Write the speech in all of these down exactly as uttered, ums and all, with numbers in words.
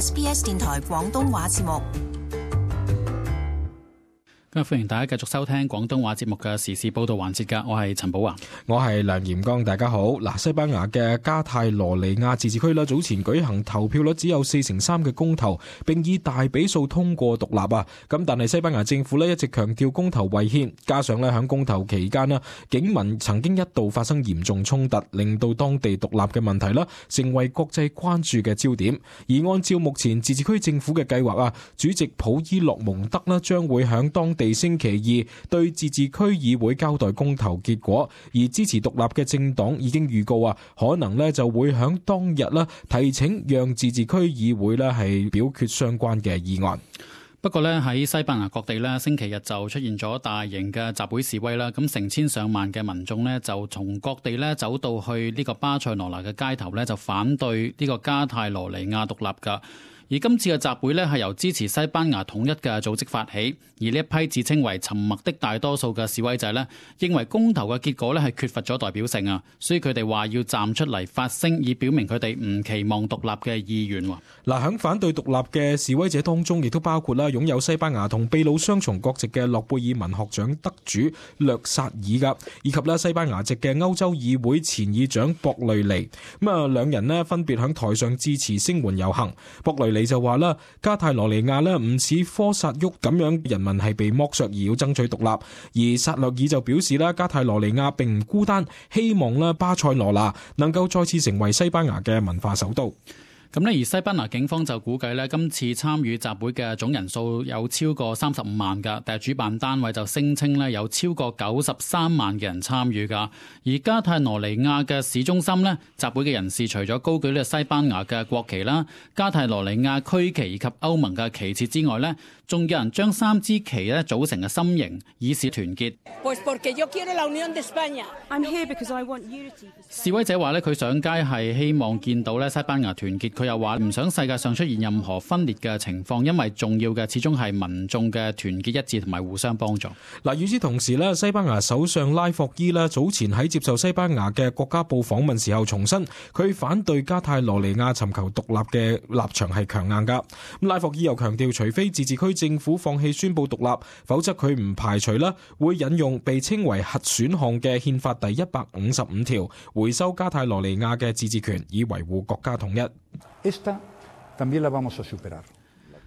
S B S 電台廣東話節目。今日歡迎大家繼續收聽廣東話節目嘅時事報道環節㗎，我係陳寶華，我係梁炎剛，大家好。嗱，西班牙嘅加泰羅尼亞自治區啦，早前舉行投票率只有四成三嘅公投，並以大比數通過獨立啊。咁但係西班牙政府咧一直強調公投違憲，加上咧響公投期間啦，警民曾經一度發生嚴重衝突，令到當地獨立嘅問題啦成為國際關注嘅焦點。而按照目前自治區政府嘅計劃啊，主席普伊洛蒙德啦將會響當地星期二對自治區議會交代公投結果，而支持獨立嘅政黨已經預告啊，可能咧就會響當日啦提請讓自治區議會咧係表決相關嘅議案。不過咧喺西班牙各地咧，星期日就出現咗大型嘅集會示威啦，咁成千上萬嘅民眾咧就從各地咧走到去呢個巴塞羅那嘅街頭咧，就反對呢個加泰羅尼亞獨立噶。而今次嘅集會呢係由支持西班牙統一嘅組織發起，而呢一批自稱為沉默的大多數嘅示威者呢，認為公投嘅結果呢係缺乏咗代表性啊，所以佢哋話要站出嚟發聲，以表明佢哋唔期望獨立嘅意願。嗱，響反對獨立嘅示威者當中，亦都包括啦擁有西班牙同秘魯雙重國籍嘅諾貝爾文學獎得主略薩爾噶，以及啦西班牙籍嘅歐洲議會前議長博雷尼。咁啊，兩人呢分別響台上支持聲援遊行。博雷你就話啦，加泰羅尼亞呢唔似科薩沃咁樣，人民係被剝削而要爭取獨立。而薩略爾就表示啦，加泰羅尼亞並唔孤單，希望啦巴塞羅那能夠再次成為西班牙嘅文化首都。咁呢，而西班牙警方就估計呢，今次參與集會嘅總人數有超過三十五萬㗎，但係主辦單位就聲稱呢有超過九十三萬嘅人參與㗎。而加泰羅尼亞嘅市中心呢，集會嘅人士除咗高舉呢西班牙嘅國旗啦、加泰羅尼亞區旗以及歐盟嘅旗幟之外呢，仲有人將三支旗呢組成嘅心形，以示團結。示威者話呢，佢上街係希望見到呢西班牙團結。佢又話唔想世界上出現任何分裂嘅情況，因為重要嘅始終係民眾嘅團結一致同埋互相幫助。嗱，與此同時咧，西班牙首相拉霍伊咧早前喺接受西班牙嘅國家報訪問時候重申，佢反對加泰羅尼亞尋求獨立嘅立場係強硬噶。咁拉霍伊又強調，除非自治區政府放棄宣布獨立，否則佢唔排除啦會引用被稱為核選項嘅憲法第一百五十五條，回收加泰羅尼亞嘅自治權，以維護國家統一。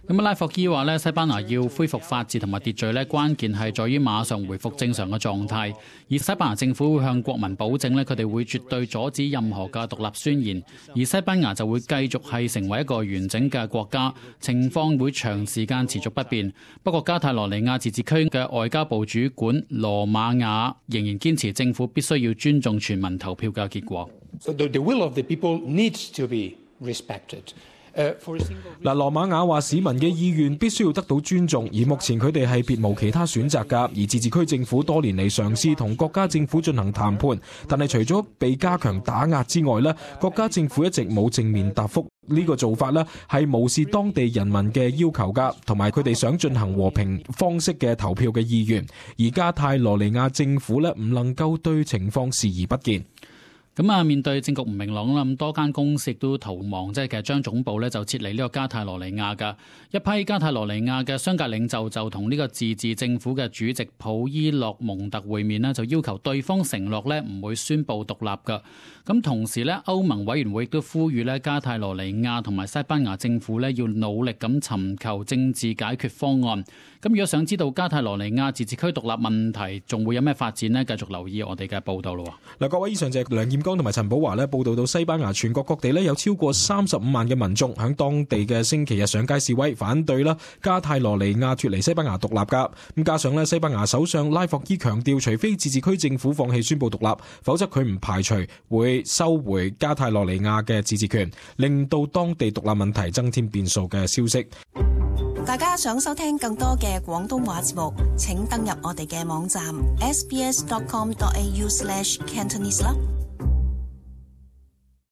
咁拉霍伊話咧，西班牙要恢復法治同埋秩序咧，關鍵係在於馬上回復正常嘅狀態。而西班牙政府會向國民保證咧，佢哋會絕對阻止任何嘅獨立宣言。而西班牙就會繼續係成為一個完整嘅國家，情況會長時間持續不變。不過加泰羅尼亞自治區嘅外交部主管羅馬亞仍然堅持政府必須要尊重全民投票嘅結果。So the will of the people needs to be respected. 嗱，羅馬亞話市民嘅意願必須要得到尊重，而目前佢哋係別無其他選擇㗎。而自治區政府多年嚟嘗試同國家政府進行談判，但係除咗被加強打壓之外呢，國家政府一直冇正面答覆。呢個做法呢係無視當地人民嘅要求㗎，同埋佢哋想進行和平方式嘅投票嘅意願。而加泰羅尼亞政府呢唔能夠對情況視而不見。咁啊，面對政局唔明朗啦，咁多間公司亦都逃亡，即係其實將總部咧就撤離呢個加泰羅尼亞噶。一批加泰羅尼亞嘅商界領袖就同呢個自治政府嘅主席普伊洛蒙特會面咧，就要求對方承諾咧唔會宣布獨立噶。咁同時咧，歐盟委員會亦都呼籲咧加泰羅尼亞同埋西班牙政府咧要努力咁尋求政治解決方案。咁如果想知道加泰羅尼亞自治區獨立問題仲會有咩發展呢？繼續留意我哋嘅報道咯。嗱，各位，以上就係梁艷剛同埋陳寶華咧報道到西班牙全國各地咧有超過三十五萬嘅民眾喺當地嘅星期日上街示威，反對啦加泰羅尼亞脫離西班牙獨立噶。咁加上咧西班牙首相拉霍伊強調，除非自治區政府放棄宣布獨立，否則佢唔排除會收回加泰羅尼亞嘅自治權，令到當地獨立問題增添變數嘅消息。大家想收聽更多嘅廣東話節目，請登入我哋嘅網站 s b s dot com dot a u slash cantonese 啦。